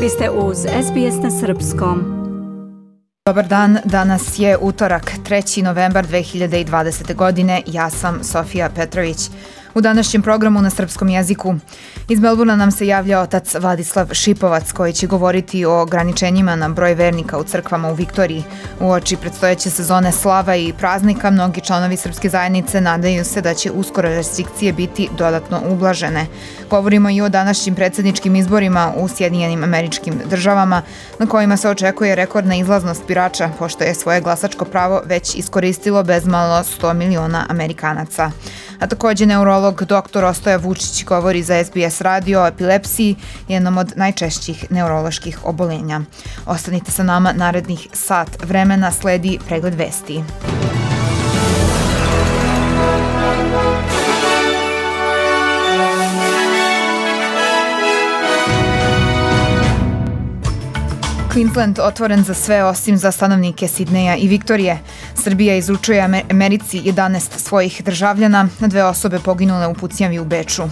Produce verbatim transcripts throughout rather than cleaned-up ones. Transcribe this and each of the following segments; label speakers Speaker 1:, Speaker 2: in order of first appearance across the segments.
Speaker 1: Vi ste uz S B S na srpskom.
Speaker 2: Dobar dan, danas je utorak, treći novembar dve hiljade dvadesete. godine. Ja sam Sofija Petrović. U današnjem programu na srpskom jeziku iz Melburna nam se javlja otac Vladislav Šipovac koji će govoriti o ograničenjima na broj vernika u crkvama u Viktoriji. Uoči predstojeće sezone slava i praznika mnogi članovi srpske zajednice nadaju se da će uskoro restrikcije biti dodatno ublažene. Govorimo i o današnjim predsjedničkim izborima u Sjedinjenim Američkim Državama na kojima se očekuje rekordna izlaznost birača pošto je svoje glasačko pravo već iskoristilo bezmalo sto miliona Amerikanaca. A također neurolog doktor Ostoja Vučić govori za S B S radio o epilepsiji, jednom od najčešćih neuroloških obolenja. Ostanite sa nama narednih sat vremena, sledi pregled vesti. Queensland otvoren za sve osim za stanovnike Sidneja i Viktorije. Srbija izručuje Americi jedanaest svojih državljana, na dve osobe poginule u pucnjavi u Beču.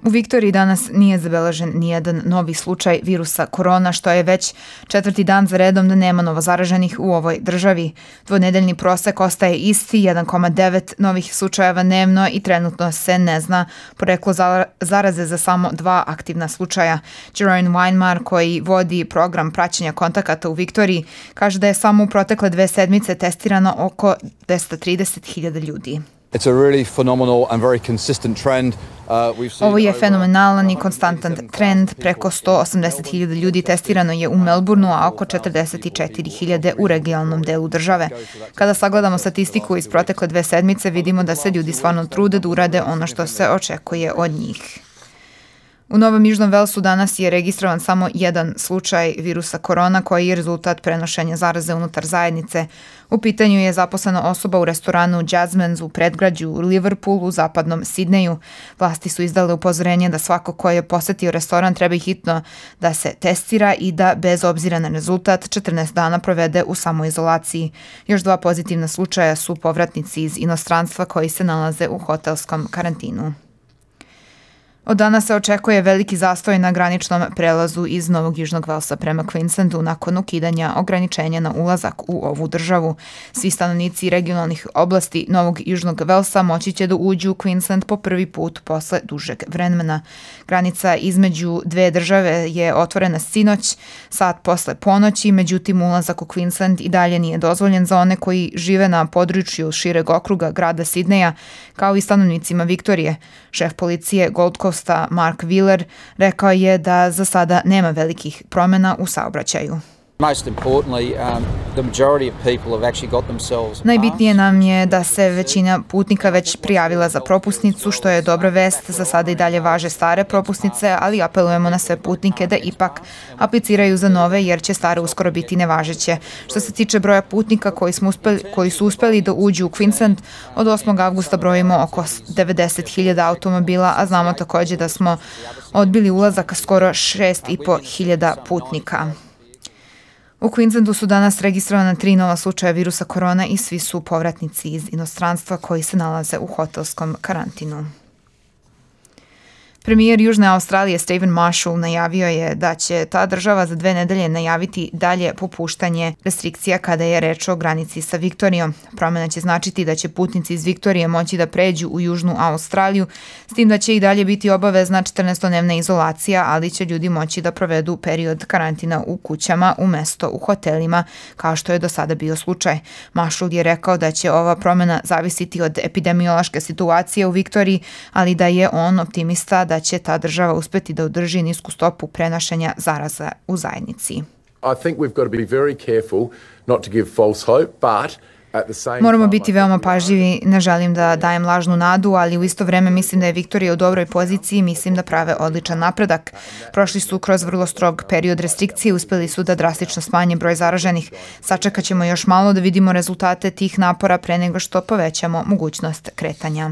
Speaker 2: U Viktoriji danas nije zabeležen nijedan novi slučaj virusa korona, što je već četvrti dan za redom da nema novozaraženih u ovoj državi. Dvonedeljni prosek ostaje isti, jedan zarez devet novih slučajeva dnevno i trenutno se ne zna poreklo zaraze za samo dva aktivna slučaja. Jeroen Weinmar, koji vodi program praćenja kontakata u Viktoriji, kaže da je samo u protekle dve sedmice testirano oko dvesta trideset hiljada ljudi.
Speaker 3: It's a really phenomenal and very consistent trend.
Speaker 2: Ovo je fenomenalan i konstantan trend. Preko sto osamdeset hiljada ljudi testirano je u Melbourneu, a oko četrdeset četiri hiljade u regionalnom delu države. Kada sagledamo statistiku iz protekle dve sedmice, vidimo da se ljudi stvarno trude da urade ono što se očekuje od njih. U Novom Južnom Velsu danas je registrovan samo jedan slučaj virusa korona koji je rezultat prenošenja zaraze unutar zajednice. U pitanju je zaposlena osoba u restoranu Jasmine's u predgrađu u Liverpoolu u zapadnom Sidneju. Vlasti su izdale upozorenje da svako ko je posetio restoran treba hitno da se testira i da bez obzira na rezultat četrnaest dana provede u samoizolaciji. Još dva pozitivna slučaja su povratnici iz inostranstva koji se nalaze u hotelskom karantinu. Od danas se očekuje veliki zastoj na graničnom prelazu iz Novog Južnog Velsa prema Queenslandu nakon ukidanja ograničenja na ulazak u ovu državu. Svi stanovnici regionalnih oblasti Novog Južnog Velsa moći će da uđu u Queensland po prvi put posle dužeg vremena. Granica između dve države je otvorena sinoć, sat posle ponoći, međutim ulazak u Queensland i dalje nije dozvoljen za one koji žive na području šireg okruga grada Sidneja, kao i stanovnicima Viktorije. Šef policije Gold Coast Mark Wheeler rekao je da za sada nema velikih promjena u saobraćaju. Najbitnije nam je da se većina putnika već prijavila za propusnicu, što je dobra vest. Za sada i dalje važe stare propusnice, ali apelujemo na sve putnike da ipak apliciraju za nove jer će stare uskoro biti nevažeće. Što se tiče broja putnika koji, smo uspeli, koji su uspeli da uđu u Queensland, od osmog avgusta brojimo oko devedeset hiljada automobila, a znamo također da smo odbili ulazak skoro šest i po hiljada putnika. U Queenslandu su danas registrovana tri nova slučaja virusa korona i svi su povratnici iz inostranstva koji se nalaze u hotelskom karantinu. Premijer Južne Australije Stephen Marshall najavio je da će ta država za dve nedelje najaviti dalje popuštanje restrikcija kada je reč o granici sa Viktorijom. Promjena će značiti da će putnici iz Viktorije moći da pređu u Južnu Australiju, s tim da će i dalje biti obavezna četrnaestodnevna izolacija, ali će ljudi moći da provedu period karantina u kućama umesto u hotelima, kao što je do sada bio slučaj. Marshall je rekao da će ova promjena zavisiti od epidemiološke situacije u Viktoriji, ali da je on optimista da da će ta država uspeti da održi nisku stopu prenošenja zaraza u zajednici.
Speaker 4: I think we've got to be very careful not to give false hope, but
Speaker 2: Moramo biti veoma pažljivi, ne želim da dajem lažnu nadu, ali u isto vreme mislim da je Viktorija u dobroj poziciji i mislim da prave odličan napredak. Prošli su kroz vrlo strog period restrikcije, uspeli su da drastično smanje broj zaraženih. Sačekat ćemo još malo da vidimo rezultate tih napora pre nego što povećamo mogućnost kretanja.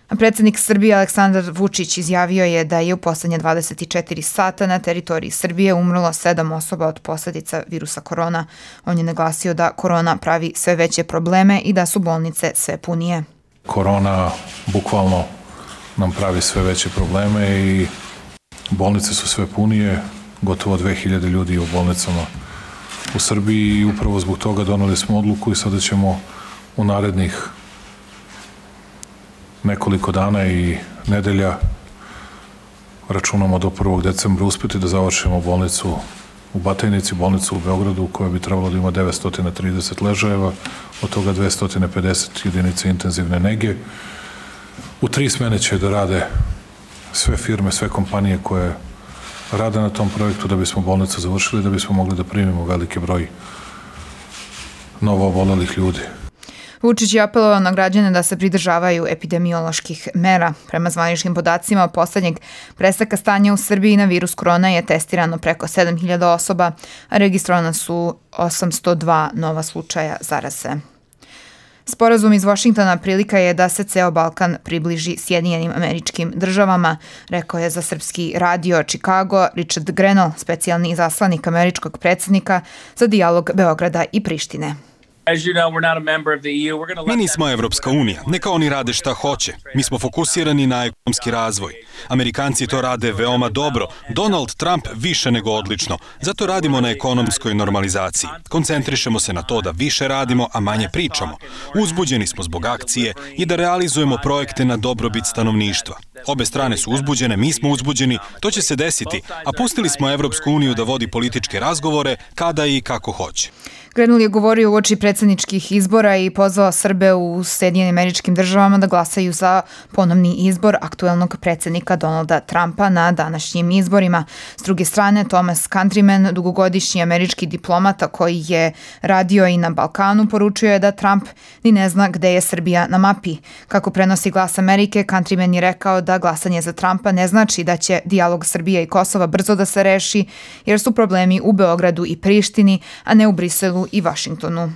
Speaker 2: Predsednik Srbije Aleksandar Vučić izjavio je da je u poslednje dvadeset četiri sata na teritoriji Srbije umrlo sedam osoba od posledica virusa korona. On je naglasio da korona pravi sve veće probleme i da su bolnice sve punije.
Speaker 5: Korona bukvalno nam pravi sve veće probleme i bolnice su sve punije, gotovo dve hiljade ljudi u bolnicama u Srbiji i upravo zbog toga doneli smo odluku i sada ćemo u narednih nekoliko dana i nedelja, računamo do prvog decembra, uspeti da završimo bolnicu u Batajnici, bolnicu u Beogradu koja bi trebalo da ima devetsto trideset ležajeva, od toga dvesta pedeset jedinica intenzivne nege. U tri smene će da rade sve firme, sve kompanije koje rade na tom projektu da bismo bolnicu završili, da bismo mogli da primimo veliki broj novo obolelih ljudi.
Speaker 2: Vučić je apelovao na građane da se pridržavaju epidemioloških mera. Prema zvaničnim podacima, od poslednjeg prestanka stanja u Srbiji na virus korona je testirano preko sedam hiljada osoba, a registrovana su osamsto dva nova slučaja zaraze. Sporazum iz Vašingtona prilika je da se ceo Balkan približi Sjedinjenim Američkim Državama, rekao je za srpski radio Chicago Richard Grenell, specijalni izaslanik američkog predsednika za dijalog Beograda i Prištine.
Speaker 6: Mi nismo Evropska unija, neka oni rade šta hoće. Mi smo fokusirani na ekonomski razvoj. Amerikanci to rade veoma dobro, Donald Trump više nego odlično. Zato radimo na ekonomskoj normalizaciji. Koncentrišemo se na to da više radimo, a manje pričamo. Uzbuđeni smo zbog akcije i da realizujemo projekte na dobrobit stanovništva. Obe strane su uzbuđene, mi smo uzbuđeni, to će se desiti, a pustili smo Evropsku uniju da vodi političke razgovore kada i kako hoće.
Speaker 2: Grenell je govorio uoči predsjedničkih izbora i pozvao Srbe u Sjedinjenim Američkim Državama da glasaju za ponovni izbor aktuelnog predsjednika Donalda Trumpa na današnjim izborima. S druge strane, Thomas Countryman, dugogodišnji američki diplomata koji je radio i na Balkanu, poručio je da Trump ni ne zna gde je Srbija na mapi. Kako prenosi Glas Amerike, Countryman je rekao da glasanje za Trumpa ne znači da će dijalog Srbije i Kosova brzo da se reši, jer su problemi u Beogradu i Prištini, a ne u Briselu i Vašingtonu.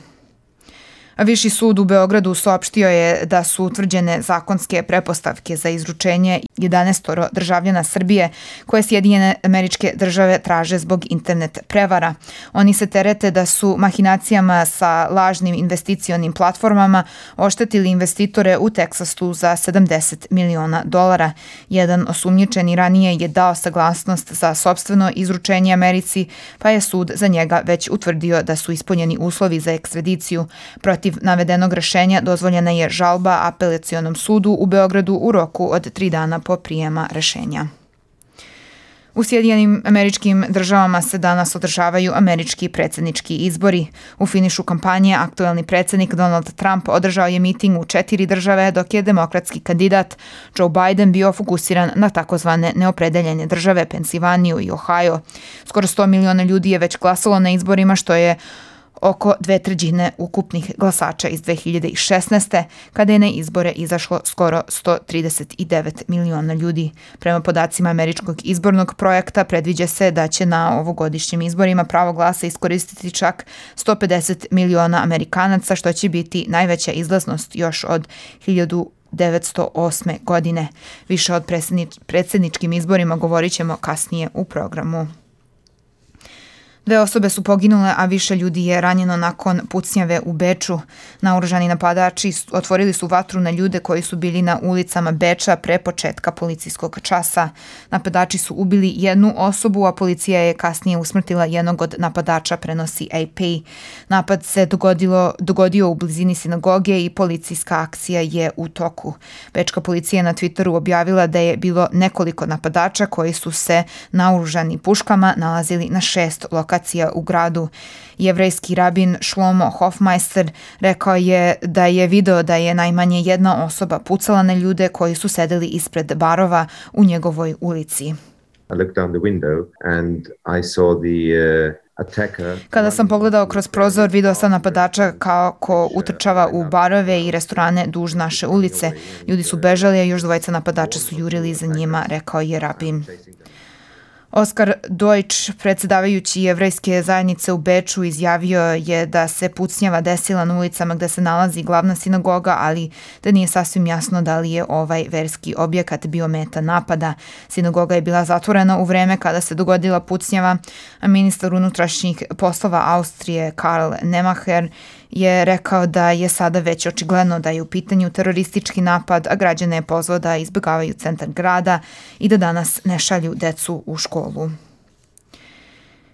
Speaker 2: Viši sud u Beogradu saopštio je da su utvrđene zakonske pretpostavke za izručenje jedanaest državljana Srbije koje Sjedinjene Američke Države traže zbog internet prevara. Oni se terete da su mahinacijama sa lažnim investicionim platformama oštetili investitore u Teksasu za sedamdeset miliona dolara. Jedan osumnjičeni ranije je dao saglasnost za sopstveno izručenje Americi, pa je sud za njega već utvrdio da su ispunjeni uslovi za ekstradiciju. Protiv navedenog rešenja dozvoljena je žalba apelacionom sudu u Beogradu u roku od tri dana po prijema rešenja. U Sjedinjenim Američkim Državama se danas održavaju američki predsjednički izbori. U finišu kampanje aktuelni predsjednik Donald Trump održao je miting u četiri države, dok je demokratski kandidat Joe Biden bio fokusiran na takozvane neopredeljene države Pensilvaniju i Ohio. Skoro sto miliona ljudi je već glasalo na izborima, što je oko dve trećine ukupnih glasača iz dve hiljade šesnaeste. kada je na izbore izašlo skoro sto trideset devet miliona ljudi. Prema podacima američkog izbornog projekta predviđa se da će na ovogodišnjim izborima pravo glasa iskoristiti čak sto pedeset miliona Amerikanaca, što će biti najveća izlaznost još od hiljadu devetsto osme. godine. Više od predsjedničkim izborima govorit ćemo kasnije u programu. Dve osobe su poginule, a više ljudi je ranjeno nakon pucnjave u Beču. Naoružani napadači otvorili su vatru na ljude koji su bili na ulicama Beča pre početka policijskog časa. Napadači su ubili jednu osobu, a policija je kasnije usmrtila jednog od napadača, prenosi A P. Napad se dogodilo, dogodio u blizini sinagoge i policijska akcija je u toku. Bečka policija na Twitteru objavila da je bilo nekoliko napadača koji su se naoružani puškama nalazili na šest lokacija u gradu. Jevrejski rabin Shlomo Hofmeister rekao je da je video da je najmanje jedna osoba pucala na ljude koji su sedeli ispred barova u njegovoj ulici.
Speaker 7: I looked down the window and I saw the uh...
Speaker 2: Kada sam pogledao kroz prozor, video sam napadača kako utrčava u barove i restorane duž naše ulice. Ljudi su bežali, a još dvojica napadača su jurili za njima, rekao je rabin. Oskar Deutsch, predsjedavajući jevrejske zajednice u Beču, izjavio je da se pucnjava desila na ulicama gde se nalazi glavna sinagoga, ali da nije sasvim jasno da li je ovaj verski objekat bio meta napada. Sinagoga je bila zatvorena u vreme kada se dogodila pucnjava, a ministar unutrašnjih poslova Austrije Karl Nemacher je rekao da je sada već očigledno da je u pitanju teroristički napad, a građane je pozvao da izbjegavaju centar grada i da danas ne šalju decu u školu.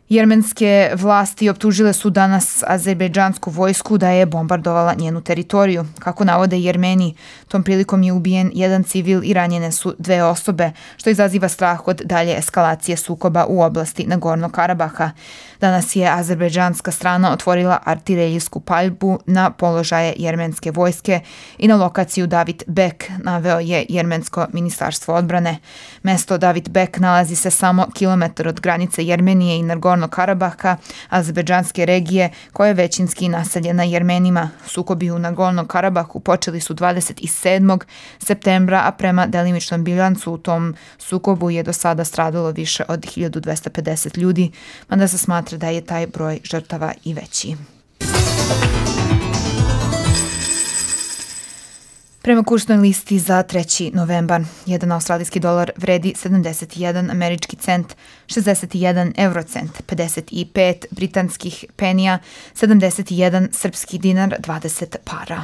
Speaker 2: Jermenske vlasti optužile su danas azerbejdžansku vojsku da je bombardovala njenu teritoriju. Kako navode Jermeni, tom prilikom je ubijen jedan civil i ranjene su dve osobe, što izaziva strah od dalje eskalacije sukoba u oblasti Nagornog Karabaha. Danas je azerbejdžanska strana otvorila artiljerijsku paljbu na položaje jermenske vojske i na lokaciju David Bek, naveo je jermensko ministarstvo odbrane. Mesto David Bek nalazi se samo kilometar od granice Jermenije i Nagornog Karabaha, azerbejdžanske regije koja je većinski naseljena Jermenima. Sukobi u Nagornom Karabahu počeli su dvadeset sedmog septembra, a prema delimičnom bilancu u tom sukobu je do sada stradalo više od hiljadu dvesta pedeset ljudi, mada se smatra da je taj broj žrtava i veći. Prema kursnoj listi za treći novembar, jedan australijski dolar vredi sedamdeset jedan američki cent, šezdeset jedan eurocent, pedeset pet britanskih penija, sedamdeset jedan srpski dinar, dvadeset para.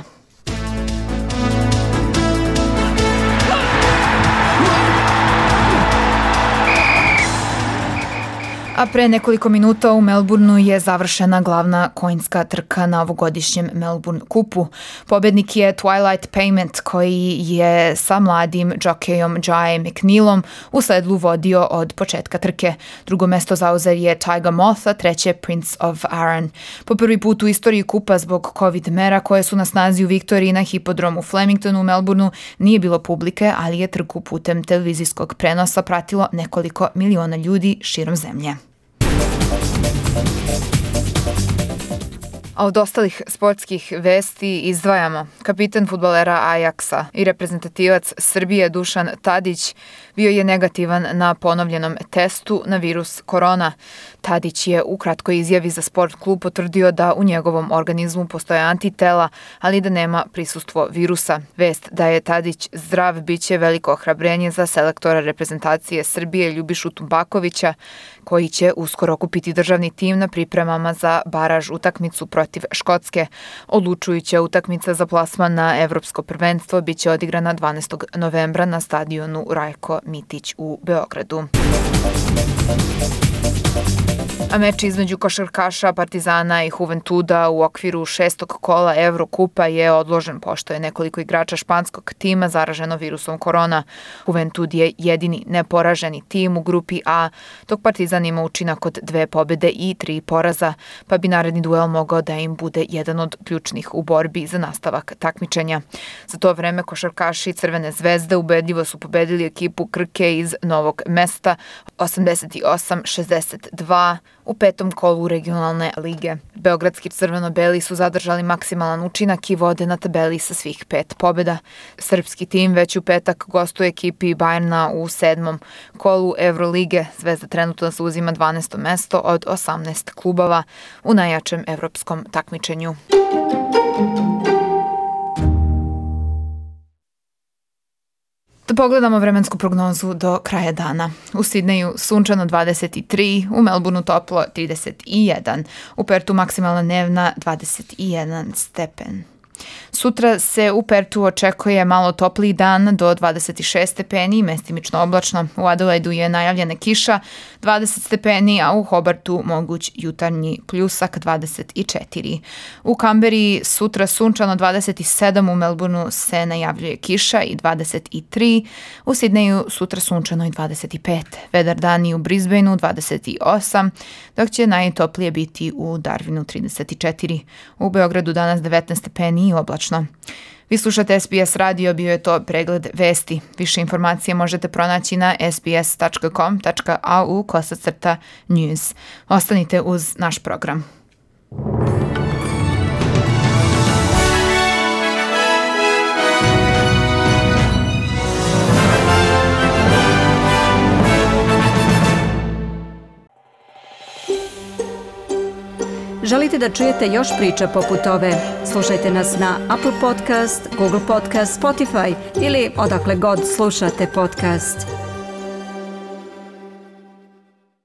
Speaker 2: A pre nekoliko minuta u Melbourneu je završena glavna konjska trka na ovogodišnjem Melbourne kupu. Pobednik je Twilight Payment, koji je sa mladim džokejom Jai McNeilom u sedlu vodio od početka trke. Drugo mesto zauzeo je Tiger Moth, a treće Prince of Arran. Po prvi put u istoriji kupa zbog COVID mera koje su na snazi u Viktoriji na hipodromu Flemingtonu u Melbourneu nije bilo publike, ali je trku putem televizijskog prenosa pratilo nekoliko miliona ljudi širom zemlje. A od ostalih sportskih vesti izdvajamo. Kapitan fudbalera Ajaksa i reprezentativac Srbije Dušan Tadić bio je negativan na ponovljenom testu na virus korona. Tadić je u kratkoj izjavi za Sport klub potvrdio da u njegovom organizmu postoje antitela, ali da nema prisustvo virusa. Vest da je Tadić zdrav biće veliko ohrabrenje za selektora reprezentacije Srbije Ljubišu Tumbakovića, koji će uskoro okupiti državni tim na pripremama za baraž utakmicu protiv Škotske. Odlučujuća utakmica za plasman na evropsko prvenstvo biće odigrana dvanaestog novembra na stadionu Rajko Mitić u Beogradu. A meč između košarkaša Partizana i Juventuda u okviru šestog kola Evrokupa je odložen pošto je nekoliko igrača španskog tima zaraženo virusom korona. Juventud je jedini neporaženi tim u grupi A, dok Partizan ima učinak od dve pobede i tri poraza, pa bi naredni duel mogao da im bude jedan od ključnih u borbi za nastavak takmičenja. Za to vreme košarkaši Crvene zvezde ubedljivo su pobedili ekipu Krke iz Novog Mesta osamdeset osam šezdeset dva u petom kolu regionalne lige. Beogradski crveno-beli su zadržali maksimalan učinak i vode na tabeli sa svih pet pobjeda. Srpski tim već u petak gostuje ekipi Bajerna u sedmom kolu Evrolige. Zvezda trenutno zauzima dvanaesto mesto od osamnaest klubova u najjačem evropskom takmičenju. Da pogledamo vremensku prognozu do kraja dana. U Sidneju sunčano dvadeset tri, u Melbourneu toplo trideset jedan, u Pertu maksimalna dnevna dvadeset jedan stepen. Sutra se u Pertu očekuje malo topliji dan do dvadeset šest stepeni i mestimično oblačno. U Adelaidu je najavljena kiša dvadeset stepeni, a u Hobartu moguć jutarnji pljusak dvadeset četiri. U Kamberi sutra sunčano dvadeset sedam, u Melbourneu se najavljuje kiša i dvadeset tri, u Sidneju sutra sunčano i dvadeset pet. Vedar dani u Brisbaneu dvadeset osam, dok će najtoplije biti u Darwinu trideset četiri. U Beogradu danas devetnaest stepeni i oblačno. Vi slušate S B S radio, bio je to pregled vesti. Više informacije možete pronaći na sbs.com.au kosacrta news. Ostanite uz naš program.
Speaker 1: Želite da čujete još priča poput ove? Slušajte nas na Apple Podcast, Google Podcast, Spotify ili odakle god slušate podcast.